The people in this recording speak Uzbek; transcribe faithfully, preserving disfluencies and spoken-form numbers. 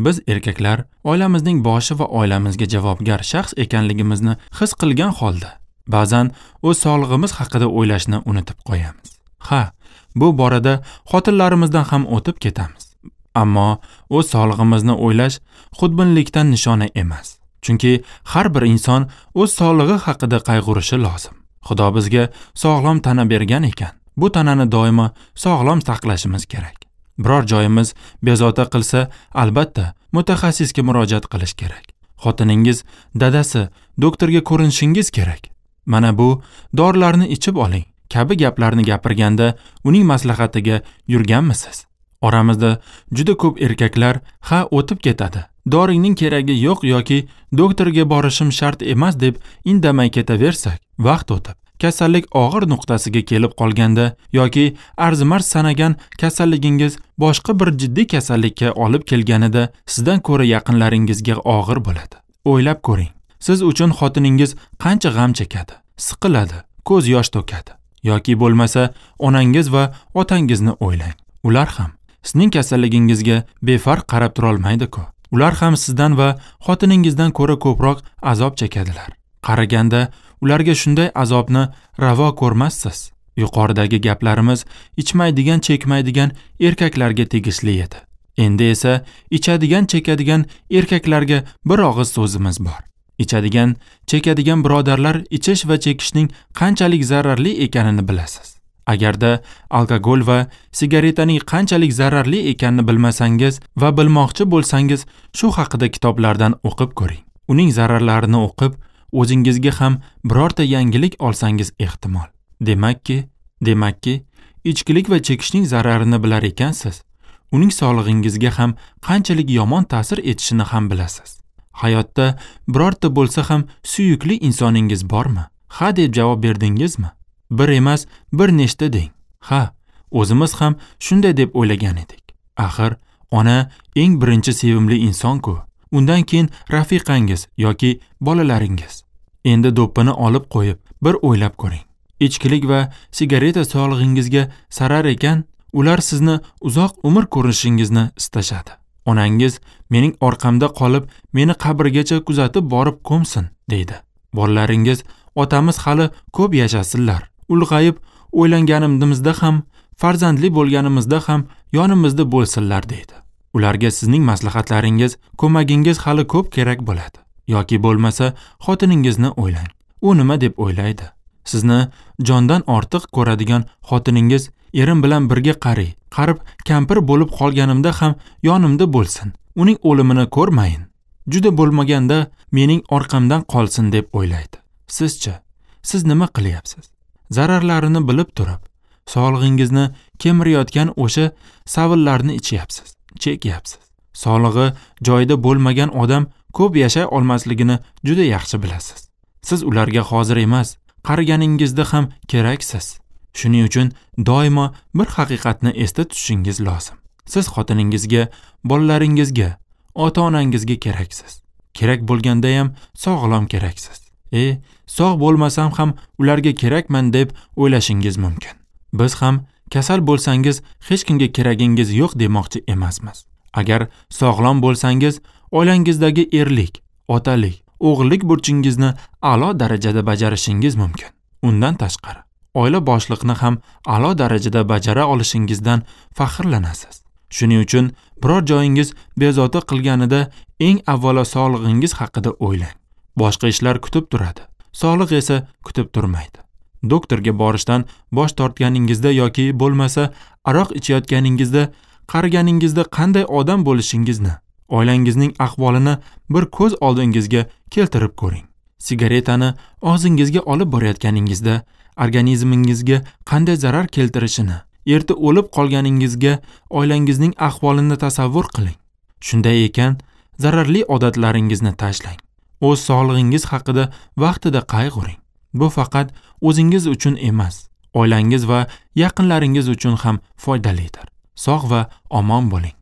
Biz erkaklar oilamizning boshi va oilamizga javobgar shaxs ekanligimizni his qilgan holda ba'zan o'z sog'lig'imiz haqida o'ylashni unutib qo'yamiz. Ha, bu borada xotinlarimizdan ham o'tib ketamiz. Ammo o'z sog'lig'imizni o'ylash xudbinlikdan nishona emas. Chunki har bir inson o'z sog'lig'i haqida qayg'urishi lozim. Xudo bizga sog'lom tana bergan ekan, bu tanani doimo sog'lom saqlashimiz kerak. Biror joyimiz bezovta qilsa, albatta mutaxassisga murojaat qilish kerak. Xotiningiz, dadasi, doktorga ko'rinishingiz kerak. Mana bu dorilarni ichib oling kabi gaplarni gapirganda uning maslahatiga yurganmisiz? Oramizda juda ko'p erkaklar ha o'tib ketadi, doringning keragi yo'q yoki doktorga borishim shart emas deb indamay ketaversak, vaqt o'tib kasallik og'ir nuqtasiga kelib qolganda yoki arzimas sanagan kasalligingiz boshqa bir jiddiy kasallikka olib kelganida sizdan ko'ra yaqinlaringizga og'ir bo'ladi. O'ylab ko'ring, siz uchun xotiningiz qancha g'am chekadi, siqiladi, ko'z yosh to'kadi. Yoki bo'lmasa onangiz va otangizni o'ylang. Ular ham sizning kasalligingizga befarq qarab turolmaydi-ku. Ular ham sizdan va xotiningizdan ko'ra ko'proq azob chekadilar. Qaraganda ularga shunday azobni ravo ko'rmassiz. Yuqoridagi gaplarimiz ichmaydigan, chekmaydigan erkaklarga tegishli edi. Endi esa ichadigan, chekadigan erkaklarga bir og'iz so'zimiz bor. Ichadigan, chekadigan birodarlar ichish va chekishning qanchalik zararli ekanini bilasiz. Agarda alkogol va sigaretaning qanchalik zararli ekanini bilmasangiz va bilmoqchi bo'lsangiz, shu haqida kitoblardan o'qib ko'ring. Uning zararlarini o'qib, o'zingizga ham birorta yangilik olsangiz ehtimol. Demakki, demakki, ichkilik va chekishning zararini bilar ekansiz, uning sog'lig'ingizga ham qanchalik yomon ta'sir etishini ham bilasiz. Hayotda birorta bo'lsa ham suyukli insoningiz bormi? Ha deb javob berdingizmi? Bir emas, bir nechta deng. Ha, o'zimiz ham shunday deb o'ylagan edik. Axir, ona eng birinchi sevimli inson-ku. Undan keyin rafiqangiz yoki bolalaringiz. Endi do'ppini olib qo'yib, bir o'ylab ko'ring. Ichkilik va sigareta sog'lig'ingizga zarar ekan, ular sizni uzoq umr ko'rishingizni istashadi. Onangiz mening orqamda qolib, meni qabrgacha kuzatib borib ko'msin, deydi. Bolalaringiz otamiz hali ko'p yashasinlar. Ulg'ayib o'ylanganimizda ham, farzandli bo'lganimizda ham yonimizda bo'lsinlar, deydi. Ularga sizning maslahatlaringiz, ko'magingiz hali ko'p kerak bo'ladi. Yoki bo'lmasa xotiningizni o'ylang. U nima deb o'ylaydi? Sizni jondan ortiq ko'radigan xotiningiz erim bilan birga qari, qarib kampir bo'lib qolganimda ham yonimda bo'lsin. Uning o'limini ko'rmayin. Juda bo'lmaganda mening orqamdan qolsin deb o'ylaydi. Sizchi, siz nima qilyapsiz? Zararlarini bilib turib, sog'lig'ingizni kemirayotgan o'sha savillarni ichyapsiz, chekyapsiz. Sog'lig'i joyida bo'lmagan odam ko'p yashay olmasligini juda yaxshi bilasiz. Siz ularga hozir emas, qariganingizda ham keraksiz. Shuning uchun doimo bir haqiqatni esda tutishingiz lozim. Siz xotiningizga, bolalaringizga, ota-onangizga keraksiz. Kerak bo'lganda ham sog'lom keraksiz. E, sog' bo'lmasam ham ularga kerakman deb o'ylashingiz mumkin. Biz ham kasal bo'lsangiz hech kimga keragingiz yo'q demoqchi emasmiz. Agar sog'lom bo'lsangiz, oilangizdagi erlik, otalik, o'g'illik burchingizni a'lo darajada bajarishingiz mumkin. Undan tashqari, oila boshliqni ham a'lo darajada bajara olishingizdan faxrlanasiz. Shuning uchun biror joyingiz bezovta qilganida eng avvalo sog'lig'ingiz haqida o'ylang. Boshqa ishlar kutib turadi. Sog'liq esa kutib turmaydi. Doktorga borishdan bosh tortganingizda yoki bo'lmasa aroq ichayotganingizda, qariganingizda qanday odam bo'lishingizni, oilangizning ahvolini bir ko'z oldingizga keltirib ko'ring. Sigaretani og'zingizga olib borayotganingizda organizmingizga qanday zarar keltirishini, erta o'lib qolganingizga oilangizning ahvolini tasavvur qiling. Shunday ekan, zararli odatlaringizni tashlang. O'z sog'lig'ingiz haqida vaqtida qayg'uring. Bu faqat o'zingiz uchun emas, oilangiz va yaqinlaringiz uchun ham foydalidir. Sog' va omon bo'ling.